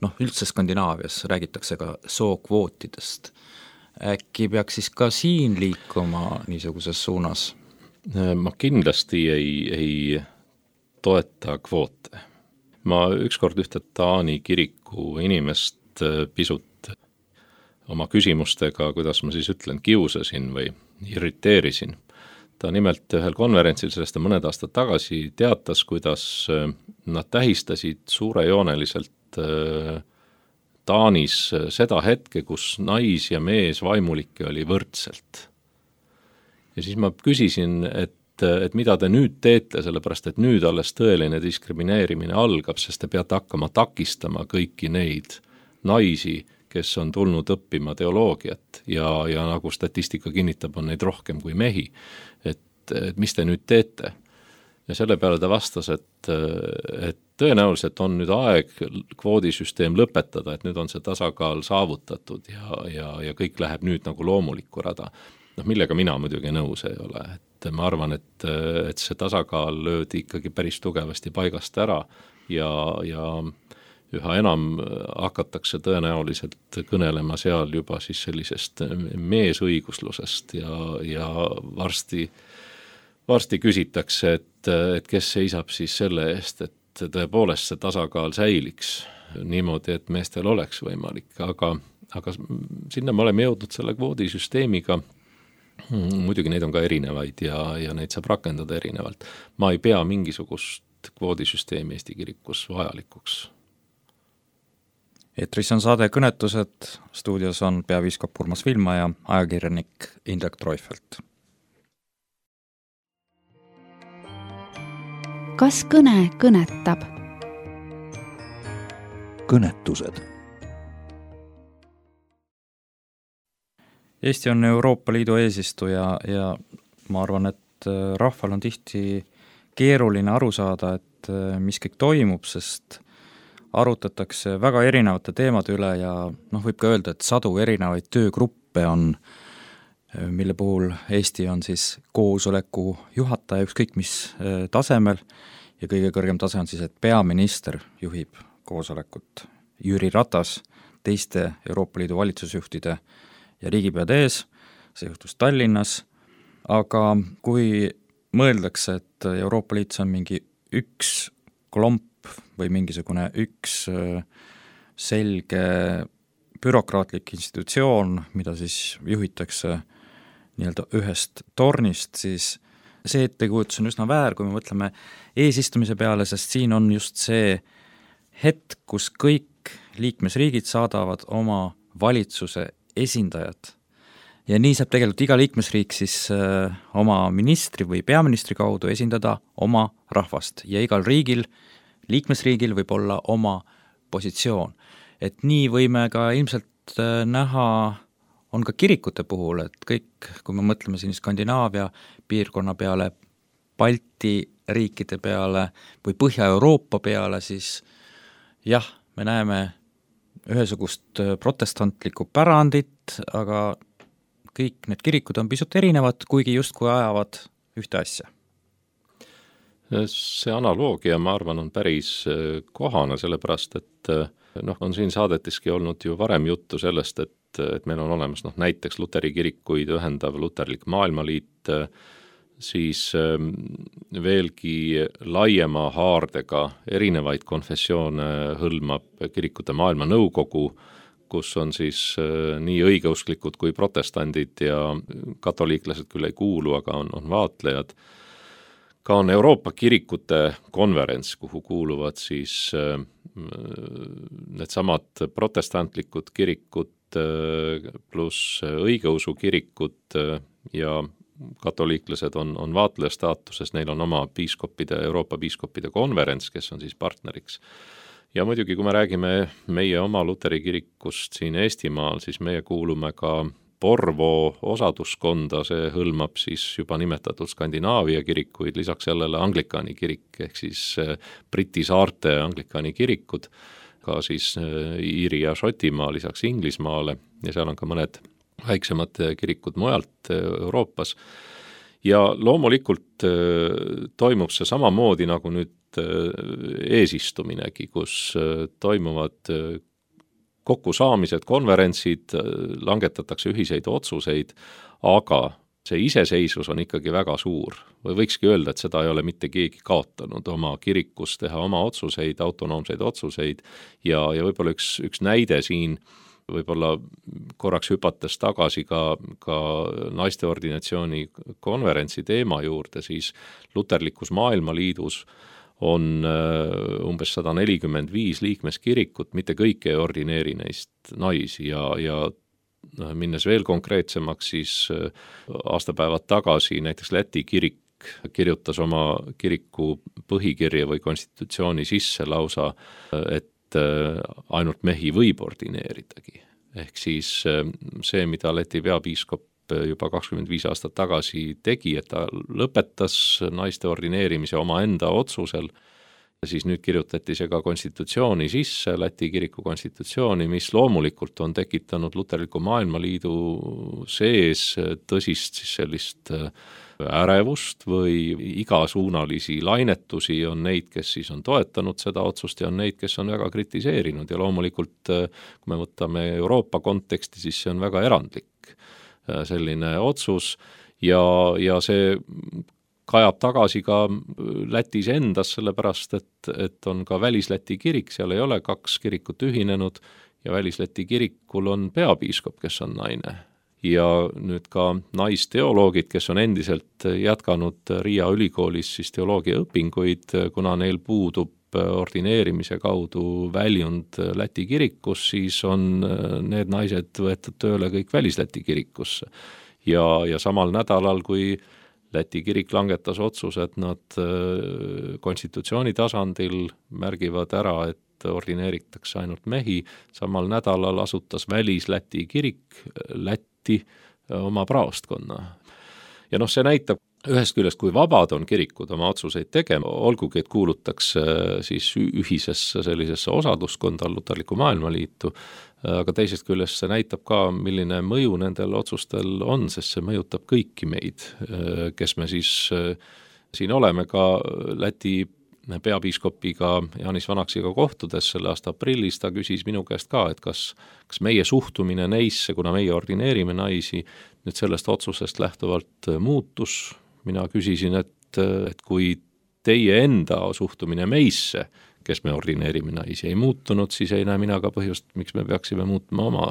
Noh, üldse Skandinaavias räägitakse ka sookvootidest. Äkki peaks siis ka siin liikuma niisuguses suunas? Ma kindlasti ei, ei toeta kvoote. Ma ükskord ühte Taani kiriku inimest pisut oma küsimustega, kuidas ma siis ütlen, kiusasin või irriteerisin. Ta nimelt ühel konverentsil sellest mõned aastad tagasi teatas, kuidas nad tähistasid suurejooneliselt Taanis seda hetke, kus nais ja mees vaimulikke oli võrdselt. Ja siis ma küsisin, et et mida te nüüd teete, sellepärast et nüüd alles tõeline diskrimineerimine algab, sest te peate hakkama takistama kõiki neid naisi, kes on tulnud õppima teoloogiat ja, ja nagu statistika kinnitab, on neid rohkem kui mehi. Et, et mis te nüüd teete? Ja selle peale ta vastas, et, et tõenäoliselt on nüüd aeg kvoodisüsteem lõpetada, et nüüd on see tasakaal saavutatud ja, ja, ja kõik läheb nüüd nagu loomulikku rada. noh, millega mina muidugi nõus ei ole, et ma arvan, et, et see tasakaal löödi ikkagi päris tugevasti paigast ära ja, ja üha enam hakatakse tõenäoliselt kõnelema seal juba siis sellisest meesõiguslusest ja, ja varsti, varsti küsitakse, et, et kes seisab siis selle eest, et tõepoolest see tasakaal säiliks niimoodi, et meestel oleks võimalik, aga, aga sinna me oleme jõudnud selle kvoodisüsteemiga. Muidugi neid on ka erinevaid ja, ja neid saab rakendada erinevalt. Ma ei pea mingisugust kvoodisüsteemi Eesti kirikus vajalikuks. Eetris on saade Kõnetused, stuudios on peapiiskop Urmas Viilma ja ajakirjanik Indrek Treufelt. Kas kõne kõnetab? Kõnetused. Eesti on Euroopa Liidu eesistuja ja ma arvan, et rahval on tihti keeruline aru saada, et mis kõik toimub, sest arutatakse väga erinevate teemade üle ja noh, võib ka öelda, et sadu erinevaid töögruppe on, mille puhul Eesti on siis koosoleku juhataja ükskõik mis tasemel ja kõige kõrgem tase on siis, et peaminister juhib koosolekut. Jüri Ratas teiste Euroopa Liidu valitsusjuhtide ja riigipeade ees, see juhtus Tallinnas, aga kui mõeldakse, et Euroopa Liit on mingi üks klomp või mingisugune üks selge bürokraatlik institutsioon, mida siis juhitakse nii-öelda ühest tornist, siis see ettekujutus on üsna väär, kui me mõtleme eesistumise peale, sest siin on just see hetk, kus kõik liikmesriigid saadavad oma valitsuse esindajad. Ja nii saab tegelikult iga liikmesriik siis äh, oma ministri või peaministri kaudu esindada oma rahvast ja igal riigil, liikmesriigil võib olla oma positsioon. Et nii võime ka ilmselt äh, näha, on ka kirikute puhul, et kõik, kui me mõtleme siin Skandinaavia piirkonna peale, Balti riikide peale või Põhja-Euroopa peale, siis jah, me näeme ühesugust protestantlikku pärandit, aga kõik need kirikud on pisut erinevad, kuigi justkui ajavad ühte asja. See analoogia, ma arvan, on päris kohane, sellepärast, et noh, on siin saadeteski olnud ju varem juttu sellest, et, et meil on olemas noh, näiteks luteri kirikuid ühendav luterlik maailmaliit, siis veelgi laiema haardega erinevaid konfessioone hõlmab kirikute maailma nõukogu, kus on siis nii õigeusklikud kui protestandid ja katoliiklased küll ei kuulu, aga on, on vaatlejad. Ka on Euroopa kirikute konverents, kuhu kuuluvad siis need samad protestantlikud kirikud pluss õigeusu kirikud ja katoliiklased on, on vaatleja staatuses, neil on oma piiskopide, Euroopa piiskopide konverents, kes on siis partneriks. Ja muidugi, kui me räägime meie oma luteri kirikust siin Eestimaal, siis meie kuulume ka Porvoo osaduskonda, see hõlmab siis juba nimetatud Skandinaavia kirikuid, lisaks sellele Anglikaani kirik, ehk siis Briti saarte Anglikaani kirikud, ka siis Iiri ja Šotimaa lisaks Inglismaale ja seal on ka mõned väiksemad kirikud mujalt Euroopas. Ja loomulikult toimub see samamoodi nagu nüüd eesistuminegi, kus toimuvad kokkusaamised, konverentsid, langetatakse ühiseid otsuseid, aga see iseseisvus on ikkagi väga suur. Või võikski öelda, et seda ei ole mitte keegi kaotanud oma kirikus teha oma otsuseid, autonoomseid otsuseid ja, ja võib-olla üks, üks näide siin, võib-olla korraks hüpates tagasi ka, ka naiste ordinatsiooni konverentsi teema juurde, siis luterlikus maailmaliidus on umbes sada nelikümmend viis liikmeskirikut, mitte kõik ei ordineeri neist naisi ja, ja minnes veel konkreetsemaks, siis aastapäevad tagasi näiteks Läti kirik kirjutas oma kiriku põhikirja või konstitutsiooni sisse lausa, et ainult mehi võib ordineeridagi. Ehk siis see, mida Läti peapiiskop juba kakskümmend viis aastat tagasi tegi, et ta lõpetas naiste ordineerimise oma enda otsusel siis nüüd kirjutati see ka konstitutsiooni sisse, Läti kiriku konstitutsiooni, mis loomulikult on tekitanud Luterliku Maailmaliidu sees tõsist siis sellist ärevust või igasuunalisi lainetusi, on neid, kes siis on toetanud seda otsust ja on neid, kes on väga kritiseerinud ja loomulikult, kui me võtame Euroopa konteksti, siis see on väga erandlik selline otsus ja, ja see kajab tagasi ka Lätis endas, sellepärast et, et on ka Välis-Läti kirik, seal ei ole kaks kirikut ühinenud ja Välis-Läti kirikul on peapiiskop, kes on naine. Ja nüüd ka naisteoloogid, kes on endiselt jätkanud Riia ülikoolis siis teoloogia õpinguid, kuna neil puudub ordineerimise kaudu väljund Läti kirikus, siis on need naised võetud tööle kõik Välis-Läti kirikusse. Ja, ja samal nädalal, kui Läti kirik langetas otsuse, et nad konstitutsiooni tasandil märgivad ära, et ordineeritakse ainult mehi, samal nädalal asutas Välis-Läti kirik Lätti oma praostkonna. Ja noh, see näitab ühest küljest, kui vabad on kirikud oma otsuseid tegema, olgugi, et kuulutakse siis ühisesse sellisesse osaduskonda Luterliku Maailmaliitu, aga teisest küljest see näitab ka, milline mõju nendel otsustel on, sest see mõjutab kõiki meid, kes me siis siin oleme ka Läti peapiiskopiga Jaanis Vanaksiga kohtudes selle aasta aprillis, ta küsis minu käest ka, et kas, kas meie suhtumine neisse, kuna meie ordineerime naisi, nüüd sellest otsusest lähtuvalt muutus. Mina küsisin, et, et kui teie enda suhtumine meisse, kes me ordineerime naisi, ei muutunud, siis ei näe mina ka põhjust, miks me peaksime muutma oma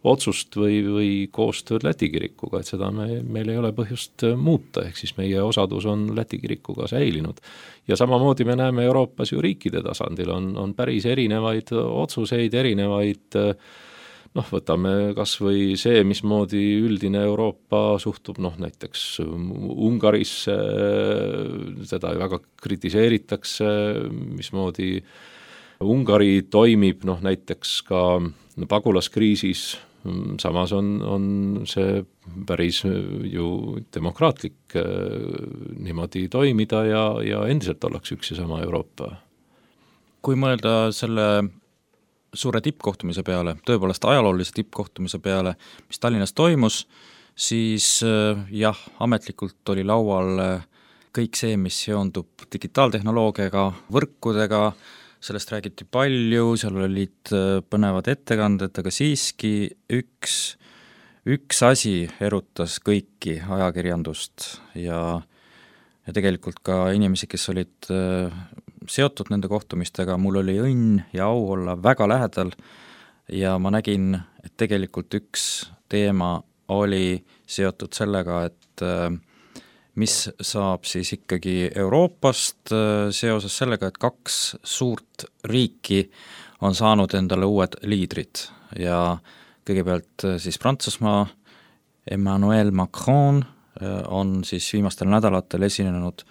otsust või, või koostööd Läti kirikuga, et seda me, meil ei ole põhjust muuta, ehk siis meie osadus on Läti kirikuga säilinud. Ja samamoodi me näeme Euroopas ju riikide tasandil, on, on päris erinevaid otsuseid, erinevaid, noh, võtame kas või see, mismoodi üldine Euroopa suhtub, noh, näiteks Ungarisse, seda väga kritiseeritakse, mismoodi Ungari toimib, noh, näiteks ka pagulaskriisis, samas on, on see päris ju demokraatlik niimoodi toimida ja, ja endiselt ollakse üks ja sama Euroopa. Kui mõelda selle suure tippkohtumise peale, tõepoolest ajaloolise tippkohtumise peale, mis Tallinnas toimus, siis jah, ametlikult oli laual kõik see, mis seondub digitaaltehnoloogiaga, võrkudega, sellest räägiti palju, seal olid põnevad ettekanded, aga siiski üks, üks asi erutas kõiki ajakirjandust ja, ja tegelikult ka inimesi, kes olid seotud nende kohtumistega, mul oli õnn ja au olla väga lähedal ja ma nägin, et tegelikult üks teema oli seotud sellega, et mis saab siis ikkagi Euroopast seoses sellega, et kaks suurt riiki on saanud endale uued liidrid ja kõigepealt siis Prantsusmaa Emmanuel Macron on siis viimastel nädalatel esinenud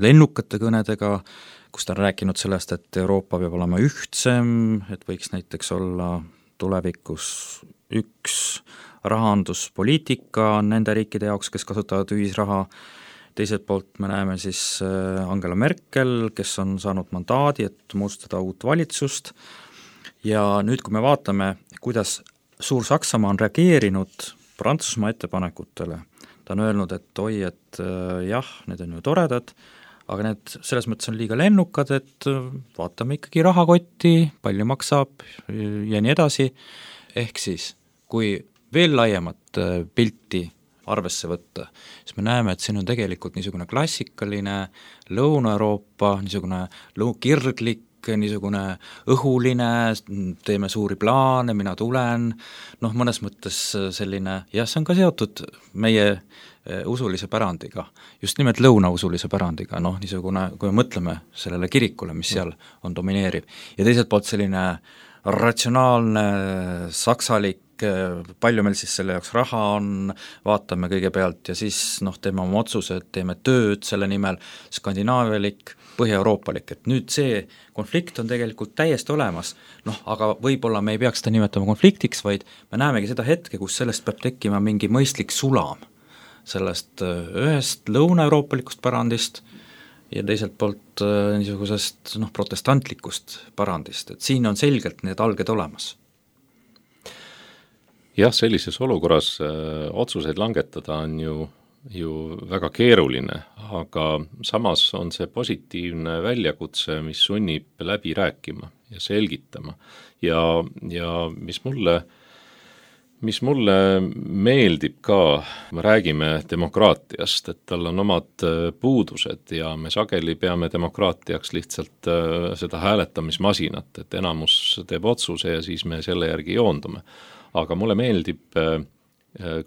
lennukate kõnedega, kus ta on rääkinud sellest, et Euroopa peab olema ühtsem, et võiks näiteks olla tulevikus üks rahanduspoliitika nende riikide jaoks, kes kasutavad ühisraha. Teiselt poolt me näeme siis Angela Merkel, kes on saanud mandaadi, et moodustada uut valitsust ja nüüd, kui me vaatame, kuidas Suur-Saksamaa on reageerinud Prantsusmaa ettepanekutele, ta on öelnud, et oi, et jah, need on ju toredad, aga need selles mõttes on liiga lennukad, et vaatame ikkagi rahakotti, palju maksab ja nii edasi, ehk siis kui veel laiemat pilti arvesse võtta, siis me näeme, et siin on tegelikult niisugune klassikaline Lõuna-Euroopa, niisugune kirglik, niisugune õhuline, teeme suuri plaane, mina tulen, noh, mõnes mõttes selline, jah, see on ka seotud meie usulise pärandiga, just nimelt lõunausulise pärandiga, noh, niisugune, kui me mõtleme sellele kirikule, mis seal on domineeriv, ja teiselt poolt selline ratsionaalne, saksalik, palju meil siis selle jaoks raha on, vaatame kõigepealt ja siis noh, teeme oma otsused, teeme tööd selle nimel, skandinaavialik, põhja-euroopalik, et nüüd see konflikt on tegelikult täiesti olemas, noh, aga võib-olla me ei peaks seda nimetama konfliktiks, vaid me näemegi seda hetke, kus sellest peab tekkima mingi mõistlik sulam sellest ühest lõuna-euroopalikust pärandist ja teiselt poolt niisugusest noh, protestantlikust parandist, et siin on selgelt need alged olemas. Jah, sellises olukorras öö, otsuseid langetada on ju ju väga keeruline, aga samas on see positiivne väljakutse, mis sunnib läbi rääkima ja selgitama. Ja, ja mis mulle, mis mulle meeldib ka, me räägime demokraatiast, et tal on omad puudused ja me sageli peame demokraatiaks lihtsalt seda hääletamismasinat, et enamus teeb otsuse ja siis me selle järgi joondume. Aga mulle meeldib,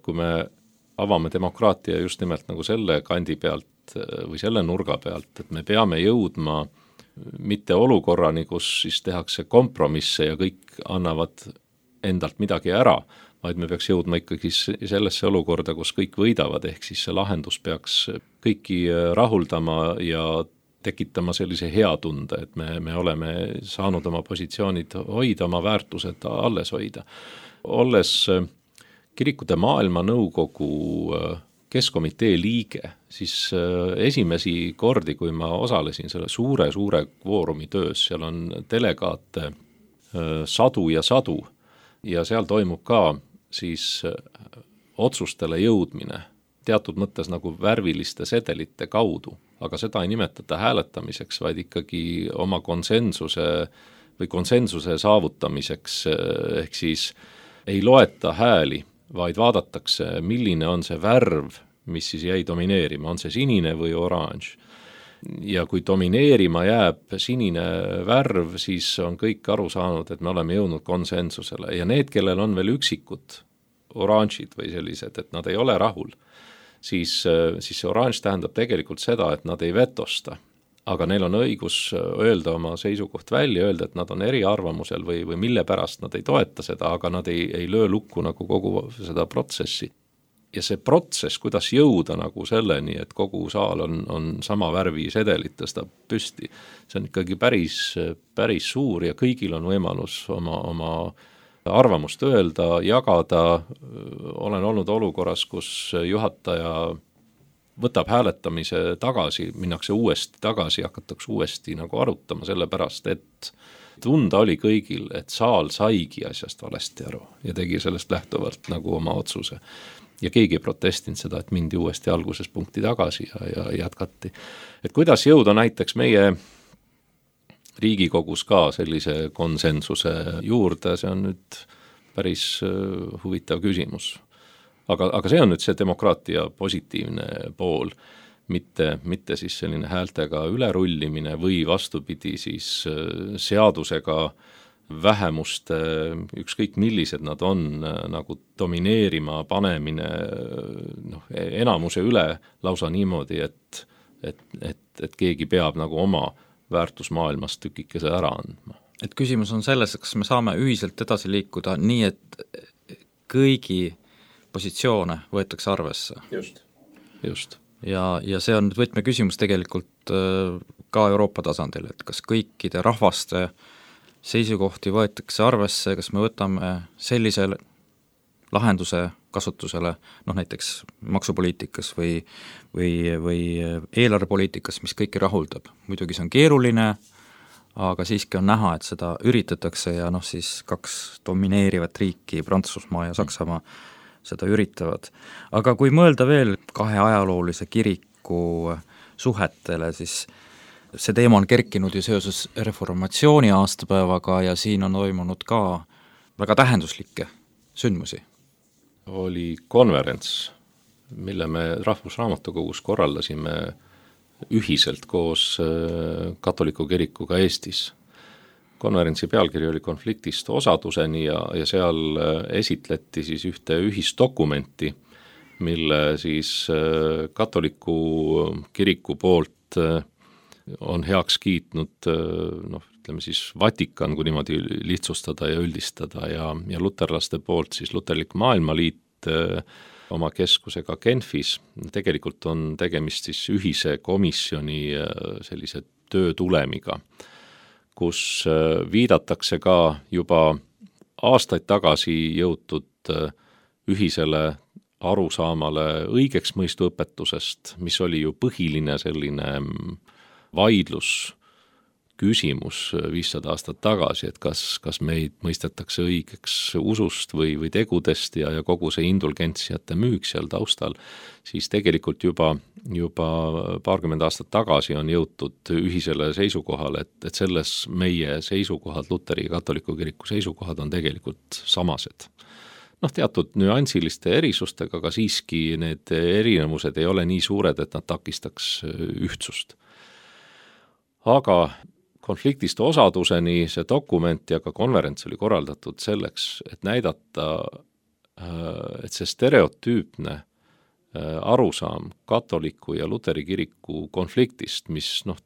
kui me avame demokraatia just nimelt nagu selle kandi pealt või selle nurga pealt, et me peame jõudma mitte olukorrani, kus siis tehakse kompromisse ja kõik annavad endalt midagi ära, vaid me peaks jõudma ikkagi sellesse olukorda, kus kõik võidavad, ehk siis see lahendus peaks kõiki rahuldama ja tekitama sellise hea tunde, et me, me oleme saanud oma positsioonid hoida, oma väärtused alles hoida. Olles Kirikute Maailmanõukogu keskkomitee liige, siis esimesi kordi, kui ma osalesin selle suure-suure kvoorumi töös, seal on delegaate sadu ja sadu ja seal toimub ka siis otsustele jõudmine teatud mõttes nagu värviliste sedelite kaudu, aga seda ei nimetata hääletamiseks, vaid ikkagi oma konsensuse või konsensuse saavutamiseks, ehk siis ei loeta hääli, vaid vaadatakse, milline on see värv, mis siis jäi domineerima, on see sinine või oranž. Ja kui domineerima jääb sinine värv, siis on kõik aru saanud, et me oleme jõudnud konsensusele. Ja need, kellel on veel üksikud oranžid või sellised, et nad ei ole rahul, siis, siis see oranž tähendab tegelikult seda, et nad ei vetosta. Aga neil on õigus öelda oma seisukoht välja, öelda, et nad on eriarvamusel või, või mille pärast nad ei toeta seda, aga nad ei, ei löö lukku nagu kogu seda protsessi. Ja see protsess, kuidas jõuda nagu selleni, et kogu saal on, on sama värvi sedelit tõstab püsti, see on ikkagi päris, päris suur ja kõigil on võimalus oma, oma arvamust öelda, jagada. Olen olnud olukorras, kus juhataja võtab hääletamise tagasi, minnakse uuesti tagasi, hakatakse uuesti nagu arutama, sellepärast, et tunda oli kõigil, et saal saigi asjast valesti aru ja tegi sellest lähtuvalt nagu oma otsuse. Ja keegi ei protestinud seda, et mindi uuesti alguses punkti tagasi ja, ja jätkati. Et kuidas jõuda näiteks meie Riigikogus ka sellise konsensuse juurde, see on nüüd päris huvitav küsimus. Aga, aga see on nüüd see demokraatia positiivne pool, mitte, mitte siis selline häältega ülerullimine või vastupidi siis seadusega vähemuste, ükskõik millised nad on, nagu domineerima panemine noh, enamuse üle lausa niimoodi, et, et, et, et keegi peab nagu oma väärtusmaailmast tükikese ära andma. Et küsimus on selles, kas me saame ühiselt edasi liikuda nii, et kõigi positsioone võetakse arvesse. Just, just. Ja, ja see on võtme küsimus tegelikult ka Euroopa tasandil, et kas kõikide rahvaste seisukohti võetakse arvesse, kas me võtame sellise lahenduse kasutusele, noh näiteks maksupoliitikas või, või, või eelarvepoliitikas, mis kõiki rahuldab. Muidugi see on keeruline, aga siiski on näha, et seda üritatakse ja noh siis kaks domineerivat riiki, Prantsusmaa ja Saksamaa, seda üritavad. Aga kui mõelda veel kahe ajaloolise kiriku suhetele, siis see teema on kerkinud ju seoses reformatsiooni aastapäevaga ja siin on toimunud ka väga tähenduslikke sündmusi. Oli konverents, mille me Rahvusraamatukogus korraldasime ühiselt koos katoliku kirikuga Eestis. Konverentsi pealkiri oli konfliktist osaduseni ja, ja seal esitleti siis ühte ühisdokumenti, mille siis katoliku kiriku poolt on heaks kiitnud, noh, ütleme siis Vatikan, kui niimoodi lihtsustada ja üldistada ja, ja luterlaste poolt siis Luterlik Maailmaliit oma keskusega Genfis. Tegelikult on tegemist siis ühise komisjoni sellise töö tulemiga, kus viidatakse ka juba aastaid tagasi jõutud ühisele arusaamale õigeks mõistu õpetusest, mis oli ju põhiline selline vaidlus küsimus viissada aastat tagasi, et kas, kas meid mõistetakse õigeks usust või, või tegudest ja, ja kogu see indulgentsiate müük seal taustal, siis tegelikult juba, juba paarkümmend aastat tagasi on jõutud ühisele seisukohale, et, et selles meie seisukohad, Luteri ja katoliku kiriku seisukohad on tegelikult samased. Noh, teatud nüansiliste erisustega, aga siiski need erinevused ei ole nii suured, et nad takistaks ühtsust. Aga konfliktist osaduseni see dokument ja ka konverents oli korraldatud selleks, et näidata, et see stereotüüpne arusaam katoliku ja Luteri kiriku konfliktist, mis noh,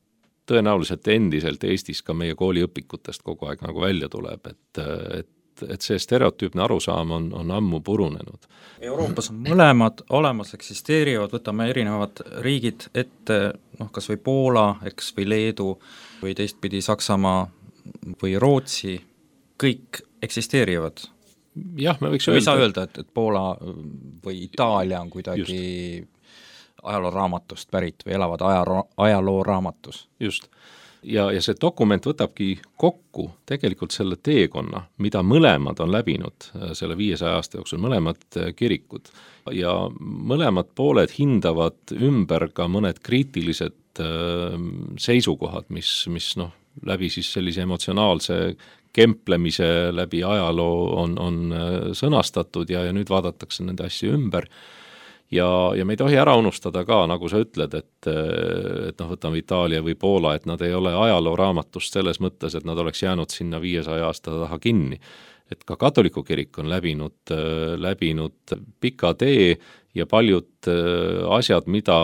tõenäoliselt endiselt Eestis ka meie kooliõpikutest kogu aeg nagu välja tuleb, et, et et see stereotüüpne arusaam on, on ammu purunenud. Euroopas on mõlemad olemas, eksisteerivad, võtame erinevad riigid ette, noh, kas või Poola, eks, või Leedu, või teistpidi Saksamaa või Rootsi, kõik eksisteerivad. Jah, me võiks öelda. Ei saa öelda, et, et Poola või Itaalia on kuidagi just ajalooraamatust pärit või elavad ajaloo, ajalooraamatus. Just. Ja, ja see dokument võtabki kokku tegelikult selle teekonna, mida mõlemad on läbinud selle viiesaja aasta jooksul, mõlemad kirikud. Ja mõlemad pooled hindavad ümber ka mõned kriitilised seisukohad, mis, mis noh, läbi siis sellise emotsionaalse kemplemise läbi ajaloo on, on sõnastatud ja, ja nüüd vaadatakse nende asju ümber. Ja, ja me ei tohi ära unustada ka, nagu sa ütled, et, et noh, võtame Itaalia või Poola, et nad ei ole ajalooraamatust selles mõttes, et nad oleks jäänud sinna viiesaja aasta taha kinni. Et ka katoliku kirik on läbinud, läbinud pika tee ja paljud asjad, mida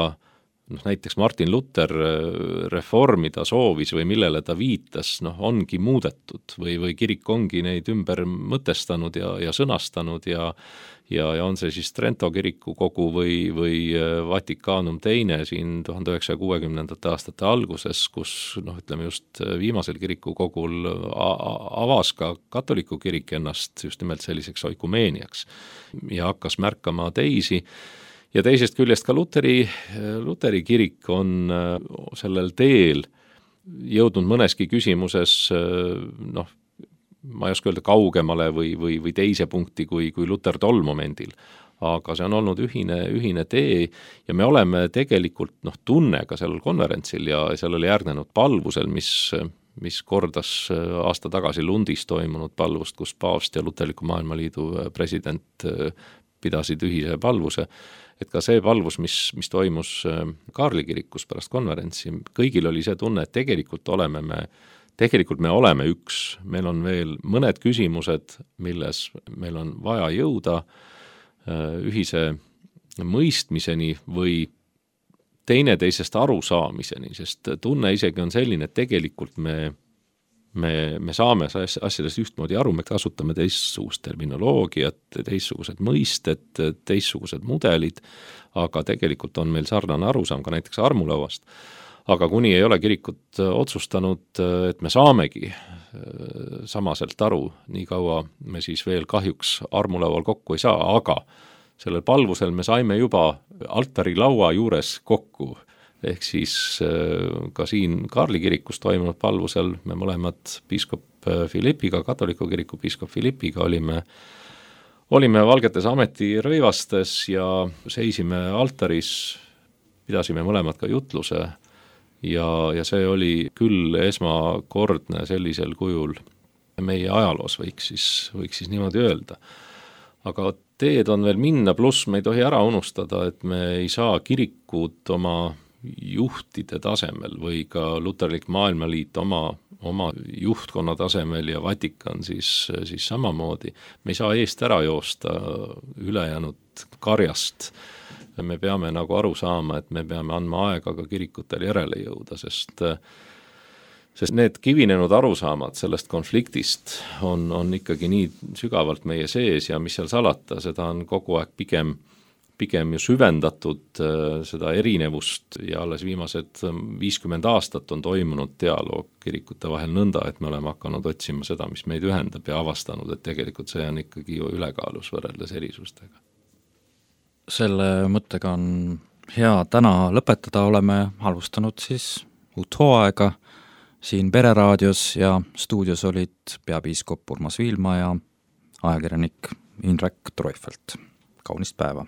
noh, näiteks Martin Luther reformida soovis või millele ta viitas, noh, ongi muudetud või, või kirik ongi neid ümber mõtestanud ja, ja sõnastanud ja Ja, ja on see siis Trento kiriku kogu või, või Vatikanum teine siin tuhande üheksasaja kuuekümnendate aastate alguses, kus noh, ütleme just viimasel kiriku kogul avas ka katoliku kirik ennast just nimelt selliseks oikumeeniaks ja hakkas märkama teisi. Ja teisest küljest ka Luteri, Luteri kirik on sellel teel jõudnud mõneski küsimuses noh, ma ei oska öelda kaugemale või, või, või teise punkti kui, kui Luter tol momendil, aga see on olnud ühine, ühine tee ja me oleme tegelikult noh, tunne ka sellel konverentsil ja sellele järgnenud palvusel, mis, mis kordas aasta tagasi Lundis toimunud palvust, kus paavst ja Luterliku Maailmaliidu president pidasid ühise palvuse, et ka see palvus, mis, mis toimus Kaarli kirikus pärast konverentsi, kõigil oli see tunne, et tegelikult oleme me Tegelikult me oleme üks, meil on veel mõned küsimused, milles meil on vaja jõuda ühise mõistmiseni või teineteisest arusaamiseni, sest tunne isegi on selline, et tegelikult me, me, me saame asjadest ühtmoodi aru, me kasutame teistsugust terminoloogiat, teistsugused mõisted, teistsugused mudelid, aga tegelikult on meil sarnane arusaam ka näiteks armulauast. Aga kuni ei ole kirikut otsustanud, et me saamegi samaselt aru, nii kaua me siis veel kahjuks armulaual kokku ei saa, aga sellel palvusel me saime juba altari laua juures kokku, ehk siis ka siin Kaarli kirikus toimunud palvusel me mõlemad piiskop Philippiga, katoliku kiriku piiskop Philippiga olime, olime valgetes ametirõivastes ja seisime altaris, pidasime mõlemad ka jutluse. Ja, ja see oli küll esmakordne sellisel kujul meie ajaloos, võiks siis, võiks siis niimoodi öelda. Aga teed on veel minna, pluss me ei tohi ära unustada, et me ei saa kirikut oma juhtide tasemel või ka Luterlik Maailmaliit oma, oma juhtkonna tasemel ja Vatikan siis, siis samamoodi. Me ei saa eest ära joosta ülejäänud karjast. Me peame nagu aru saama, et me peame andma aega ka kirikutel järele jõuda, sest, sest need kivinenud arusaamad sellest konfliktist on, on ikkagi nii sügavalt meie sees ja mis seal salata, seda on kogu aeg pigem, pigem ju süvendatud seda erinevust ja alles viimased viiskümmend aastat on toimunud dialoog kirikute vahel nõnda, et me oleme hakanud otsima seda, mis meid ühendab ja avastanud, et tegelikult see on ikkagi ju ülekaalus võrreldes erisustega. Selle mõttega on hea täna lõpetada, oleme alustanud siis uut hooaega siin Pereraadios ja stuudios olid peapiiskop Urmas Viilma ja ajakirjanik Indrek Treufelt. Kaunist päeva!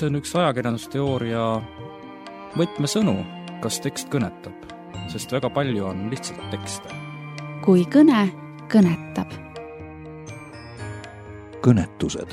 See on üks ajakirjandusteooria võtmesõnu, kas tekst kõnetab, sest väga palju on lihtsalt tekste. Kui kõne kõnetab. Kõnetused